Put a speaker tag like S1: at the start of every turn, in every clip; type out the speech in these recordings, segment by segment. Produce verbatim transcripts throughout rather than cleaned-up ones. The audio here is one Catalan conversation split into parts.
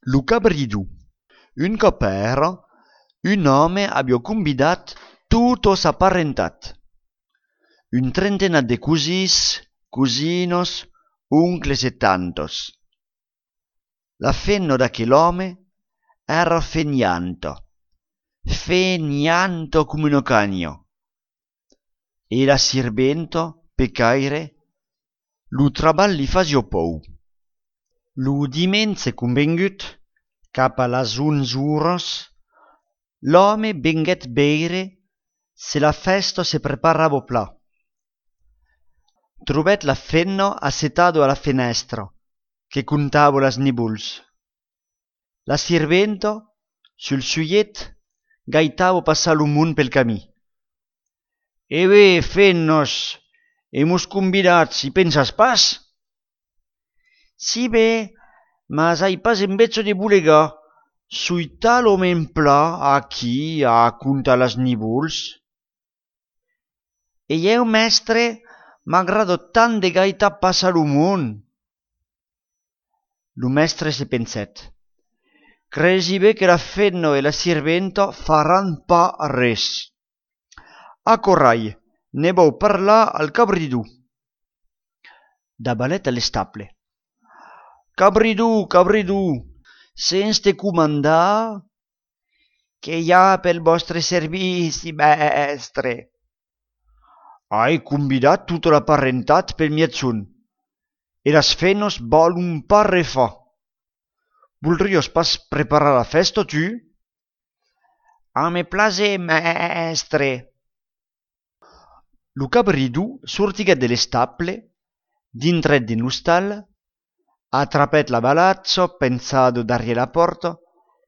S1: Luca Bridou. Un cop era, un home havia convidat tota sa parentat. Un trentena de cosins, cosinos, uncles e tantos. La fenna d'aquell'home era fenianto, fenianto come un cagno. E la sirvento, pecaire, lu traballi fasio pou. Lu dimenze convengut, cap a las onze uros, l'home venguet beire se la festa se preparava pla. Trobèt la fenna assetado a la fenestra, che contava las nibuls. La sirvento, sul suiet, gaitava passar lo mun pel camí. E bé, fennos, hemus convidats, hi pensas pas? Si bé, mas hai pas en vezzo de bulegar, sui tal home en pla aquí a contar las nibuls. E eu, mestre, m'agrado tant de gaitar passar lo mun. Lo mestre se penset. Cresi bé que la fenna e la sirventa faran pa res. A corrai, ne vau parlar al Cabridou. Da balet alle staple. Cabridou, Cabridou, sens te comandar, che hi ha pel vostre servici, mestre. Hai convidat tota la parentat pel mietzun, e las fennos volun pa refà. Voldries pas preparar la festa, tu? A me place, mestre. Lo Cabridou sortiguet de le staple, dintret din lo stall, attrapèt la balazzo pensado darie la porta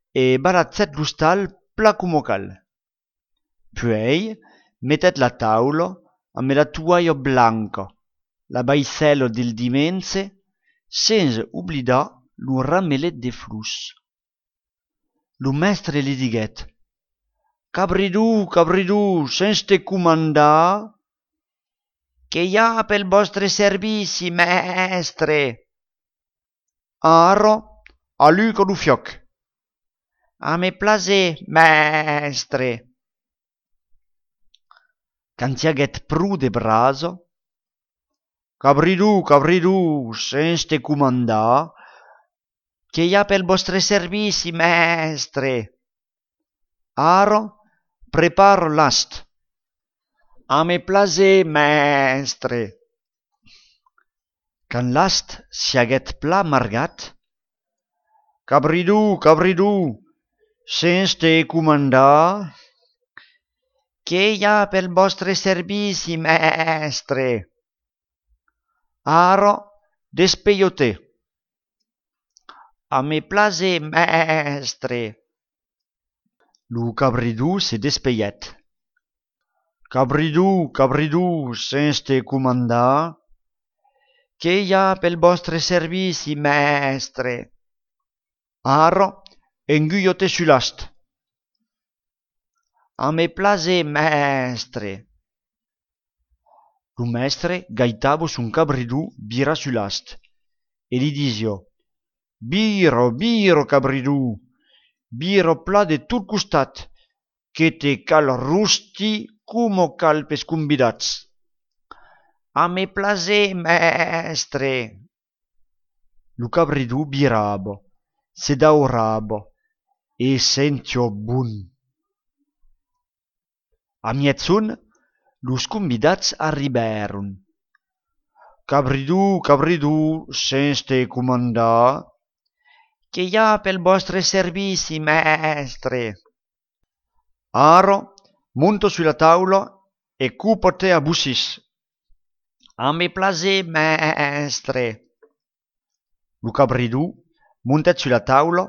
S1: e balazzèt lo stall pla como cal. Puei mettet la taula amb la toaia blanca, la baicello del dimenze, senza oblidar lo ramelet de flus. Lo mestre li diguet: Cabridou, Cabridou, sens te comandar, che hi ha pel vostre servici, mestre. Ara, a Luca lo fioc. A me place, mestre. Cantiaguet pru de braso. Cabridou, Cabridou, sens te comandar, che hi ha pel vostre servici, mestre. Ara, preparo l'ast. A me place, mestre. Can l'ast siaguet pla margat. Cabridou, Cabridou, sens te comandar, che hi ha pel vostre servici, mestre. Ara, despeiote. A me place, mestre. Lo Cabridou se despeiet. Cabridou, Cabridou, sens te comandar, che hi ha pel vostre servici, mestre. Ara, enguiote su l'ast. A me place, mestre. Lo mestre gaitava son Cabridou bira su l'ast e li disio: Biro, biro, Cabridou, biro pla de tot costat, che te cal rusti como cal pes convidats. A me place, mestre. Lo Cabridou birava, se daurava e sentio bun. A mietzun, los convidats arribèron. Cabridou, Cabridou, sens te comandar, che hi ha pel vostre servici, mestre. Ara, monto sulla taula e cupo-te a bussis. A me place, mestre. Lo Cabridou montet sulla taula,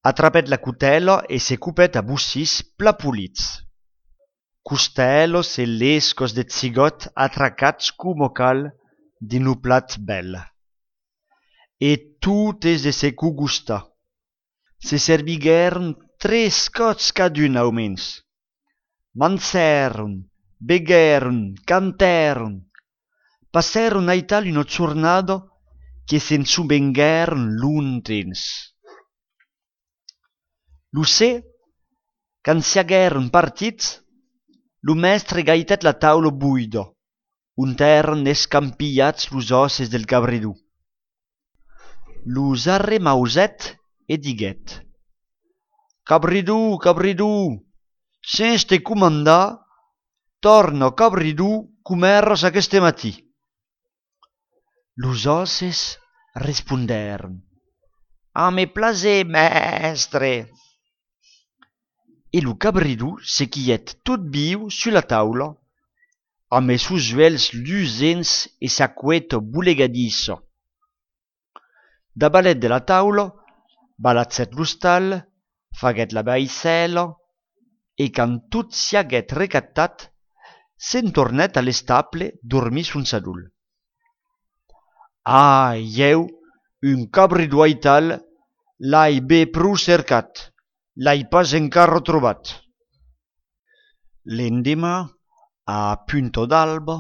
S1: attrapèt la cutela e se cupèt a bussis pla pulits. Costellos e lescos de zigot atracats como cal din lo plat bel. E totes de se cu gusta. Se serviguèron tres cots cadun aumens. Manzèron, beguèron, cantèron, passèron aital una giornada che se'n subenguèron lontens. Lo sé, quand s'agueren partits, lo mestre gaitet la taula buida, un terren escampillats los osses del cabredù. Los arremauset e diguet: Cabridù, cabridù, sens te comandar, torna cabridù comerres aqueste matí. Los osses responderen: A me plaser, mestre. E lo cabridù se quiet tot viu sur la taula, amb es sus uelhs lucents e sa coueta bulegadissa. Dabalet de la taula, balatzet lo stall, faguet la baissela, e quand tot s'aguet recattat, se'n tornet a l'estaple dormir son sadul. Ah, jeu, un cabridù aital, l'ai be prou cercat, l'ai pas encara trobat. L'endemà, a punto d'alba,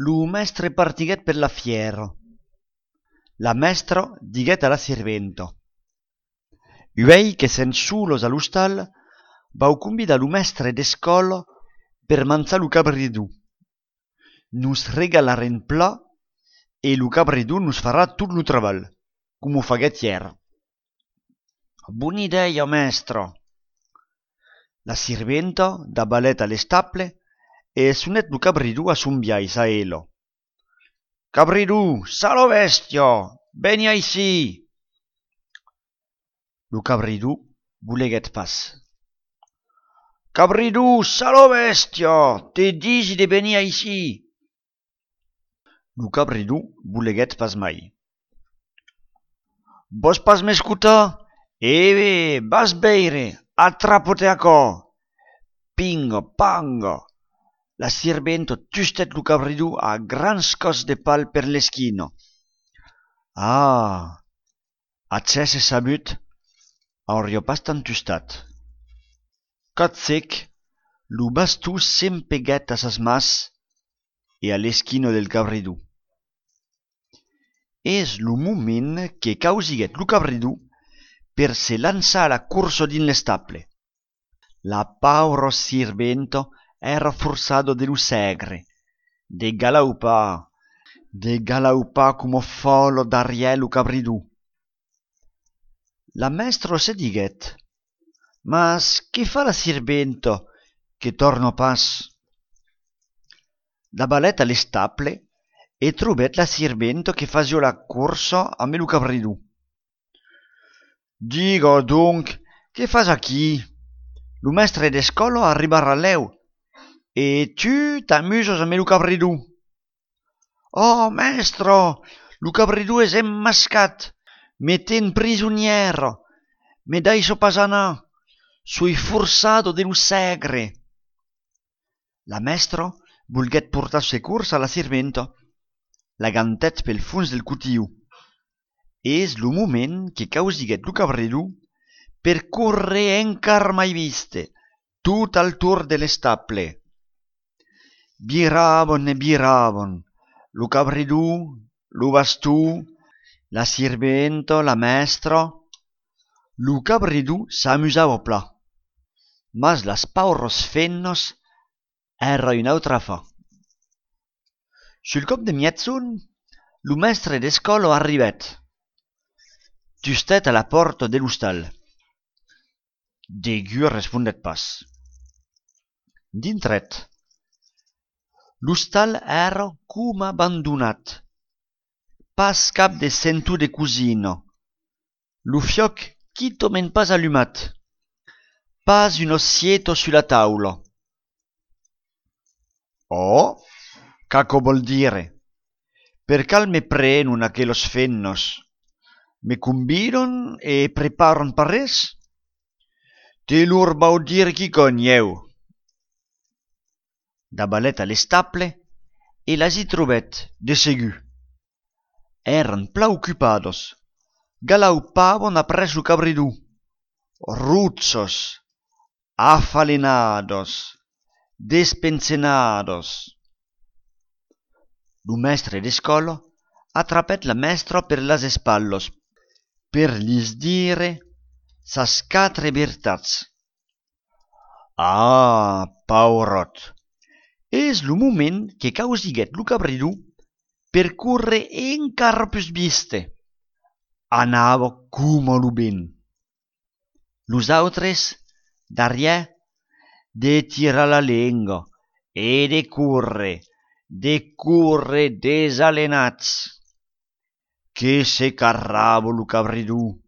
S1: lo mestre partiguet per la fiera. La mestra diguet a la sirventa: Uei che sen sulos a lo stall, vau convidar lo mestre d'escola per manzar lo cabridù. Nos regalaren pla e lo cabridù nos farà tot lo treball, com ho faguet ier. Bona idea, mestra. La sirventa dabalet a l'estaple e sunet lo cabridù a son biais a ela. Cabridù, salo bestia, veni aicí. Lo cabridù voleguet pas. Cabridù, salo bestia, te disi de venir aicí. Lo cabridù voleguet pas mai. Vos pas m'escutar? Ebe, vas beire, attrapo-te acò. Pinga, panga. La sirventa tustet lo cabridù a grans cos de pal per l'esquina. Ah, accese sabut, auria pas tant tustat. Catsec, lo bastó s'empeguet a sas mas e a l'esquina del cabridù. És lo moment que causiguet lo cabridù per se lançar a la cursa din l'estaple. La paura sirventa era forzado de lo segre, de galaupar, de galaupar como folo darrière lo cabridù. La mestra se diguet: Mas che fa la sirventa che torna pas? Dabalet a l'estaple e trobet la sirventa che fasio la cursa amb lo cabridù. Diga donc, che fas aquí? Lo mestre d'escola arribarà leu e tu t'amuses amb lo cabridù. Oh, mestre, lo cabridù és emmascat, me ten prisoniera, me deixa pas anar, soi forçado de lo segre. La mestra volguet portar securs a la sirventa, la gantet pel fons del cutiu. És lo moment que causiguet lo cabridù per correr encar mai viste, tot al tour de l'estaple. Viraven e viraven, lo cabridù, lo bastó, la sirventa, la mestra. Lo cabridù s'amusava pla, mas las pauros fennos era un'autra fa. Sul cop de mietzun, lo mestre d'escola arribet. Tustet a la porta de lo stall. Degue respondet pas. Dintret. Lo stall era com abandonat. Pas cap de sentu de cosina. Lo fioc quitomen pas allumat. Pas un ossieto sulla taula. Oh, caco vol dire? Per cal me prenun aquelos fennos? Me convidon e preparon pa res? Te lor vau dir qui conieu. Dabalet a l'estaple e las hi trobet, de segu. Eran pla occupados, galaupavan apres lo cabridù, ruzzos, afalenados, despensenados. Lo mestre d'escola atrapet la mestra per las espallos, per lis dire sas quatre vertats. Ah, paurot! És lo moment que causiguet lo cabridú per curre encara pus viste. Anava coma lo ben. Los autres, darriè, de tirar la lenga e de curre, de curre desalenats. Que se carrava lo cabridú.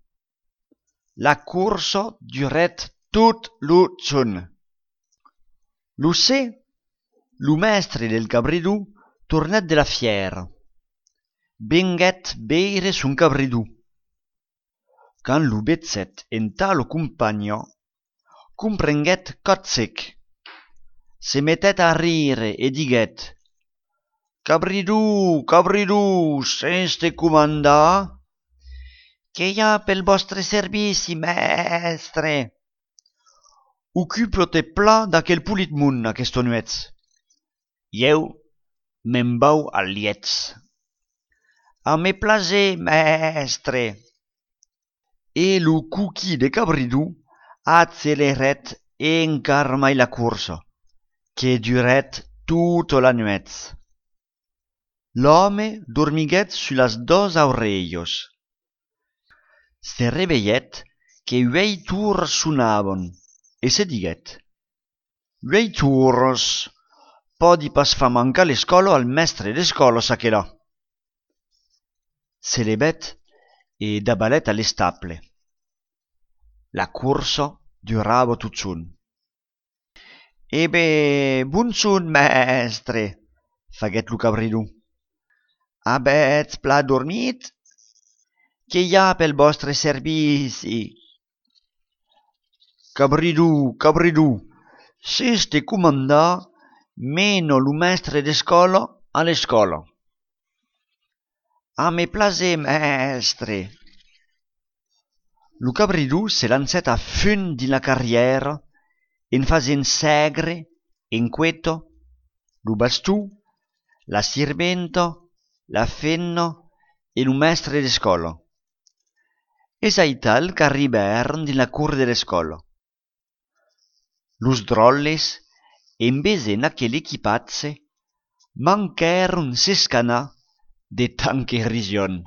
S1: La cursa duret tot lo giorn. Lo sé, lo mestre del cabridú tornèt de la fièra. Venguèt beire son cabridú. Quand lo betzèt entà lo compagna, comprenguèt cot sec. Se mettèt a rire e diguèt: Cabridú, cabridú, sense comandar? Qué i ha pel vostre servici, mestre? Ocupa-te pla d'aquel polit món aquesta nuet. Jeu me'n vau al lietz. A me plaser, mestre. E lo cuqui de cabridú accelerèt encara mai la cursa, que duret tota la nuet. L'home dormiguèt sus dos aurelhos. Se reveillèt que uei tours sonavan e se diguèt: uei tours, pòdi pas fa mancar l'escòla al mestre d'escòla s'aquelà. Se levèt e dabalèt a l'estaple. La cursa durava tot son. E be, bon son, mestre, faguèt lo cabridú. Abètz pla dormit? Qué i ha pel vostre servici? Cabridú, cabridú, seste comandar, meno lo mestre d'escòla a l'escòla. A me plaser, mestre. Lo cabridú se lancèt a fun din la carrièra en fasent segre, en queto, lo bastú, la sirventa, la fenna e lo mestre d'escòla. Es aital qu'arribèron din la cur de l'escòla. Los dròlles, en besent aquel equipatge, manquèron s'escanar de tant que rision.